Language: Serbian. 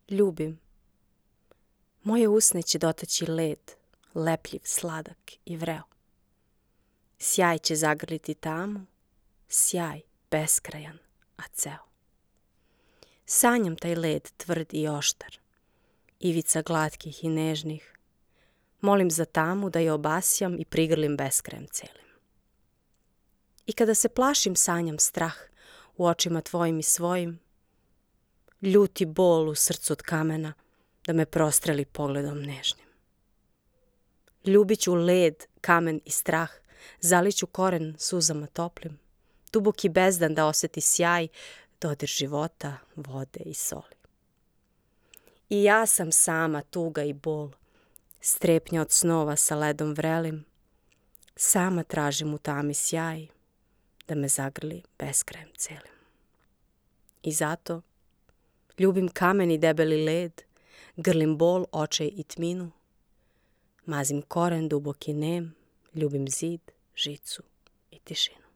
Ljubim. Moje usne će dotaći led, lepljiv, sladak i vreo. Sjaj će zagrliti tamu, sjaj beskrajan, a ceo. Sanjam taj led tvrd i oštar, ivica glatkih i nežnih. Molim za tamu da je obasjam i prigrlim beskrajem celim. I kada se plašim sanjam strah u očima tvojim i svojim, ljuti bol u srcu od kamena da me prostreli pogledom nežnim. Ljubit ću led, kamen i strah, zaliću koren suzama toplim, duboki bezdan da oseti sjaj, dodir života, vode i soli. I ja sam sama tuga i bol, strepnja od snova sa ledom vrelim, sama tražim u tami sjaj, da me zagrli beskrajem celim. I zato ljubim kamen i debeli led, grlim bol, očaj i tminu, mazim koren duboki nem, ljubim zid, žicu i tišinu.